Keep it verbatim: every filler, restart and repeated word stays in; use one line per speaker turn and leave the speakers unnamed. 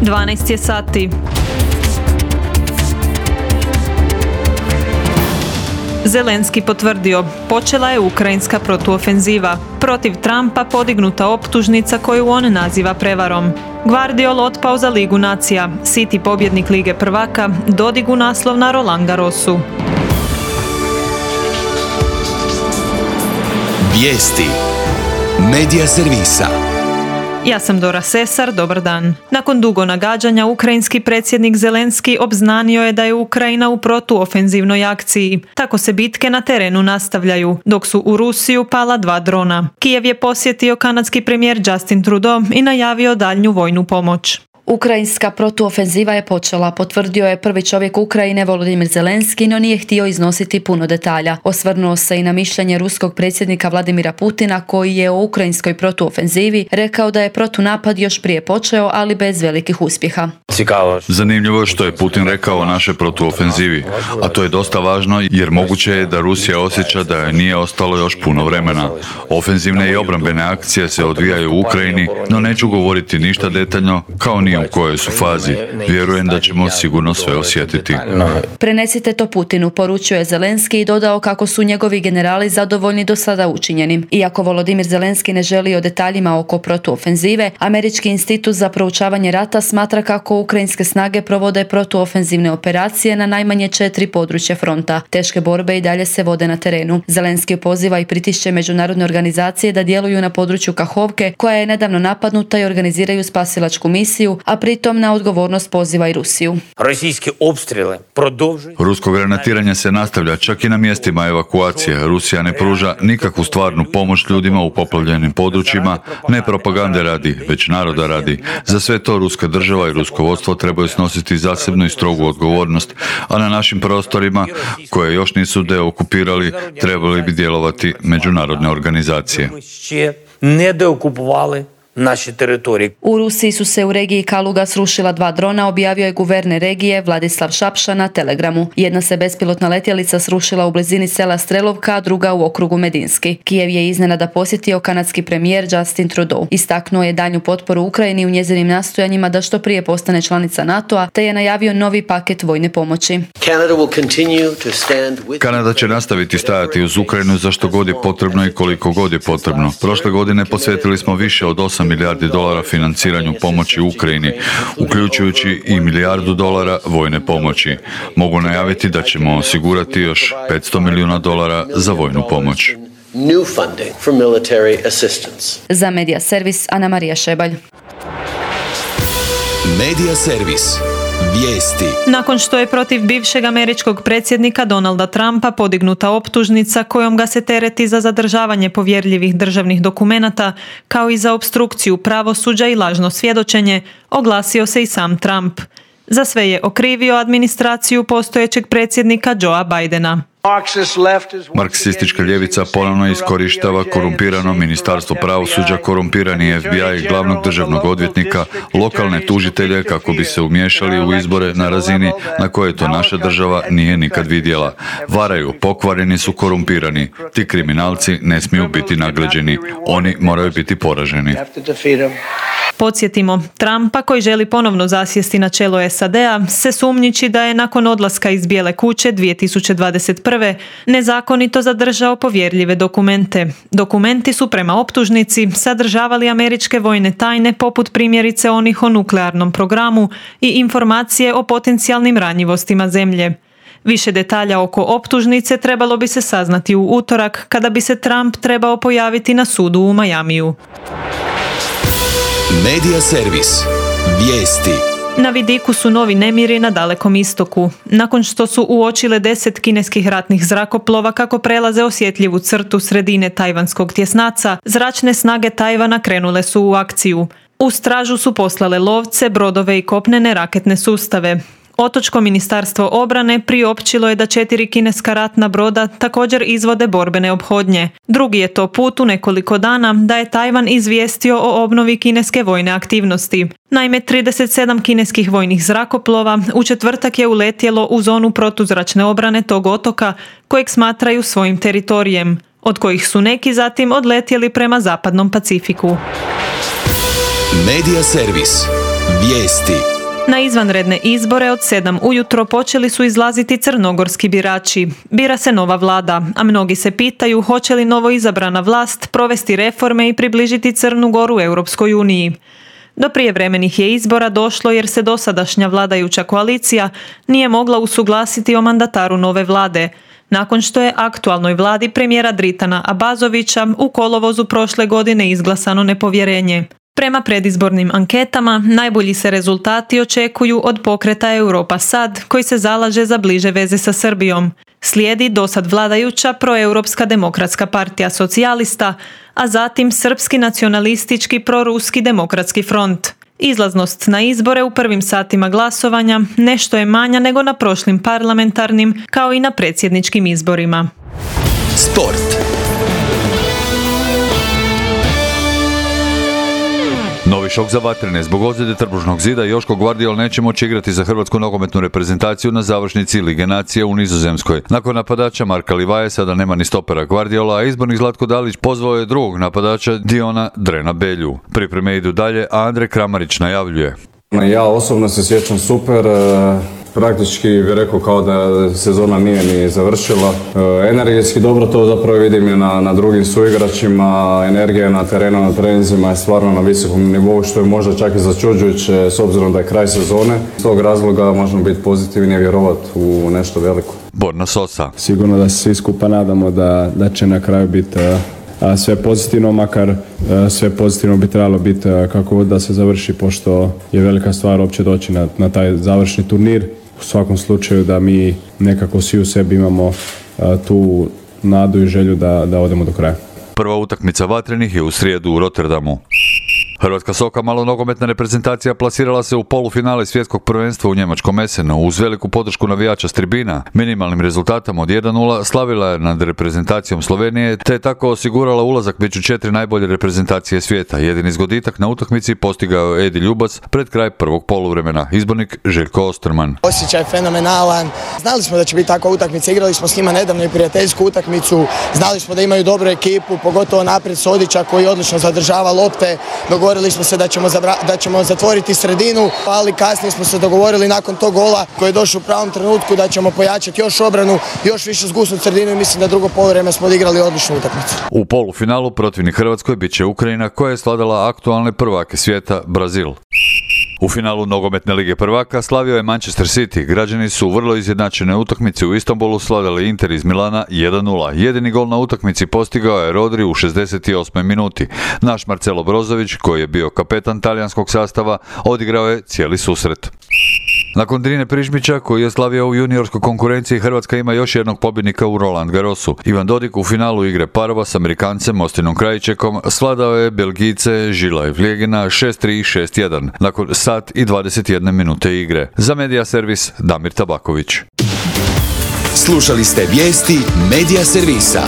dvanaest je sati. Zelenski potvrdio, počela je ukrajinska protuofenziva. Protiv Trumpa podignuta optužnica koju on naziva prevarom. Gvardiol otpao za Ligu nacija, City pobjednik Lige prvaka, dodigu naslov na Roland Garrosu.
Vijesti Medija servisa.
Ja sam Dora Sesar, dobar dan. Nakon dugo nagađanja, ukrajinski predsjednik Zelenski obznanio je da je Ukrajina u protuofenzivnoj akciji. Tako se bitke na terenu nastavljaju, dok su u Rusiju pala dva drona. Kijev je posjetio kanadski premijer Justin Trudeau i najavio daljnju vojnu pomoć.
Ukrajinska protuofenziva je počela, potvrdio je prvi čovjek Ukrajine Volodymyr Zelenski, no nije htio iznositi puno detalja. Osvrnuo se i na mišljenje ruskog predsjednika Vladimira Putina, koji je o ukrajinskoj protuofenzivi rekao da je protunapad još prije počeo, ali bez velikih uspjeha.
Zanimljivo je što je Putin rekao o našoj protuofenzivi, a to je dosta važno jer moguće je da Rusija osjeća da joj nije ostalo još puno vremena. Ofenzivne i obrambene akcije se odvijaju u Ukrajini, no neću govoriti ništa detaljno, kao ni u kojoj su fazi. Vjerujem da ćemo sigurno sve osjetiti.
Prenesite to Putinu, poručio je Zelenski i dodao kako su njegovi generali zadovoljni do sada učinjenim. Iako Volodymyr Zelenski ne želi o detaljima oko protuofenzive, Američki institut za proučavanje rata smatra kako ukrajinske snage provode protuofenzivne operacije na najmanje četiri područja fronta. Teške borbe i dalje se vode na terenu. Zelenski poziva i pritišće međunarodne organizacije da djeluju na području Kahovke, koja je nedavno napadnuta, i organiziraju spasilačku misiju, a pritom na odgovornost poziva i Rusiju.
Rusko granatiranje se nastavlja čak i na mjestima evakuacije. Rusija ne pruža nikakvu stvarnu pomoć ljudima u poplavljenim područjima, ne propagande radi, već naroda radi. Za sve to ruska država i rusko vodstvo trebaju snositi zasebnu i strogu odgovornost, a na našim prostorima, koje još nisu deokupirali, trebali bi djelovati međunarodne organizacije.
Ne deokupovali naše teritorije.
U Rusiji su se u regiji Kaluga srušila dva drona, objavio je guverner regije Vladislav Šapša na Telegramu. Jedna se bespilotna letjelica srušila u blizini sela Strelovka, a druga u okrugu Medinski. Kijev je iznenada posjetio kanadski premijer Justin Trudeau. Istaknuo je daljnju potporu Ukrajini u njezinim nastojanjima da što prije postane članica NATO-a, te je najavio novi paket vojne pomoći.
Kanada će nastaviti stajati uz Ukrajinu za što god je potrebno i koliko god je potrebno. Prošle godine posvetili smo više od osam milijardi dolara financiranju pomoći Ukrajini, uključujući i milijardu dolara vojne pomoći. Mogu najaviti da ćemo osigurati još petsto milijuna dolara za vojnu pomoć.
Za Medija servis Ana Marija Šebalj.
Medija servis. Vijesti.
Nakon što je protiv bivšeg američkog predsjednika Donalda Trumpa podignuta optužnica kojom ga se tereti za zadržavanje povjerljivih državnih dokumenata, kao i za opstrukciju pravosuđa i lažno svjedočenje, oglasio se i sam Trump. Za sve je okrivio administraciju postojećeg predsjednika Joea Bidena.
Marksistička ljevica ponovno iskorištava korumpirano ministarstvo pravosuđa, korumpirani F B I, glavnog državnog odvjetnika, lokalne tužitelje kako bi se umiješali u izbore na razini na koje to naša država nije nikad vidjela. Varaju, pokvareni su, korumpirani. Ti kriminalci ne smiju biti nagrađeni. Oni moraju biti poraženi.
Podsjetimo, Trumpa, koji želi ponovno zasjesti na čelo S A D-a, se sumnjiči da je nakon odlaska iz Bijele kuće dvije tisuće dvadeset prve nezakonito zadržao povjerljive dokumente. Dokumenti su prema optužnici sadržavali američke vojne tajne, poput primjerice onih o nuklearnom programu i informacije o potencijalnim ranjivostima zemlje. Više detalja oko optužnice trebalo bi se saznati u utorak, kada bi se Trump trebao pojaviti na sudu u Majamiju.
Medija servis. Vijesti.
Na vidiku su novi nemiri na Dalekom istoku. Nakon što su uočile deset kineskih ratnih zrakoplova kako prelaze osjetljivu crtu sredine tajvanskog tjesnaca, zračne snage Tajvana krenule su u akciju. U stražu su poslale lovce, brodove i kopnene raketne sustave. Otočko ministarstvo obrane priopćilo je da četiri kineska ratna broda također izvode borbene ophodnje. Drugi je to put u nekoliko dana da je Tajvan izvijestio o obnovi kineske vojne aktivnosti. Naime, trideset sedam kineskih vojnih zrakoplova u četvrtak je uletjelo u zonu protuzračne obrane tog otoka, kojeg smatraju svojim teritorijem, od kojih su neki zatim odletjeli prema zapadnom Pacifiku.
Medija servis. Vijesti.
Na izvanredne izbore od sedam ujutro počeli su izlaziti crnogorski birači. Bira se nova vlada, a mnogi se pitaju hoće li novo izabrana vlast provesti reforme i približiti Crnu Goru Europskoj uniji. Do prijevremenih je izbora došlo jer se dosadašnja vladajuća koalicija nije mogla usuglasiti o mandataru nove vlade, nakon što je aktualnoj vladi premijera Dritana Abazovića u kolovozu prošle godine izglasano nepovjerenje. Prema predizbornim anketama, najbolji se rezultati očekuju od pokreta Europa Sad, koji se zalaže za bliže veze sa Srbijom. Slijedi dosad vladajuća proeuropska demokratska partija socijalista, a zatim srpski nacionalistički proruski demokratski front. Izlaznost na izbore u prvim satima glasovanja nešto je manja nego na prošlim parlamentarnim, kao i na predsjedničkim izborima.
Sport.
Novi šok za vatrene. Zbog ozljede trbušnog zida Joško Gvardiol neće moći igrati za hrvatsku nogometnu reprezentaciju na završnici Lige nacija u Nizozemskoj. Nakon napadača Marka Livaje sada nema ni stopera Gvardiola, a izbornik Zlatko Dalić pozvao je drugog napadača Diona Drena Belju. Pripreme idu dalje, a Andrej Kramarić najavljuje.
Ja osobno se sjećam super, praktički bih rekao kao da sezona nije ni završila. Energetski dobro to zapravo vidim i na, na drugim suigračima, energija na terenu, na treninzima je stvarno na visokom nivou, što je možda čak i začuđujuće s obzirom da je kraj sezone. S tog razloga možemo biti pozitivni i vjerovati u nešto veliko.
Borna Sosa.
Sigurno da se svi skupa nadamo da, da će na kraju biti a sve pozitivno, makar sve pozitivno bi trebalo biti kako god da se završi, pošto je velika stvar uopće doći na, na taj završni turnir. U svakom slučaju da mi nekako svi u sebi imamo tu nadu i želju da, da odemo do kraja.
Prva utakmica vatrenih je u srijedu u Rotterdamu. Hrvatska soka malonogometna reprezentacija plasirala se u polufinale svjetskog prvenstva u njemačkom Essenu uz veliku podršku navijača s tribina. Minimalnim rezultatom od jedan nula slavila je nad reprezentacijom Slovenije, te je tako osigurala ulazak među četiri najbolje reprezentacije svijeta. Jedini zgoditak na utakmici postigao je Edi Ljubac pred kraj prvog poluvremena. Izbornik Željko Osterman.
Osjećaj fenomenalan. Znali smo da će biti takva utakmica, igrali smo s njima nedavno i prijateljsku utakmicu. Znali smo da imaju dobru ekipu, pogotovo naprijed Sodića koji odlično zadržava lopte. Dogovorili smo se da ćemo, zabra, da ćemo zatvoriti sredinu, ali kasnije smo se dogovorili nakon tog gola koji je došao u pravom trenutku da ćemo pojačati još obranu, još više zgusnuti sredinu i mislim da drugo poluvreme smo odigrali odličnu utakmicu.
U polufinalu protivnik Hrvatskoj bit će Ukrajina koja je svladala aktualne prvake svijeta Brazil. U finalu nogometne lige prvaka slavio je Manchester City. Građani su u vrlo izjednačene utakmici u Istanbulu svladali Inter iz Milana jedan nula. Jedini gol na utakmici postigao je Rodri u šezdeset osmoj minuti. Naš Marcelo Brozović, koji je bio kapetan talijanskog sastava, odigrao je cijeli susret. Nakon Drine Prižmića, koji je slavio u juniorskoj konkurenciji, Hrvatska ima još jednog pobjednika u Roland Garrosu. Ivan Dodik u finalu igre parova s Amerikancem Ostinom Krajičekom svladao je Belgijce Žila i Vljegina šest tri i šest jedan nakon sat i dvadeset jedne minute igre. Za Media Servis Damir Tabaković.
Slušali ste vijesti Media Servisa.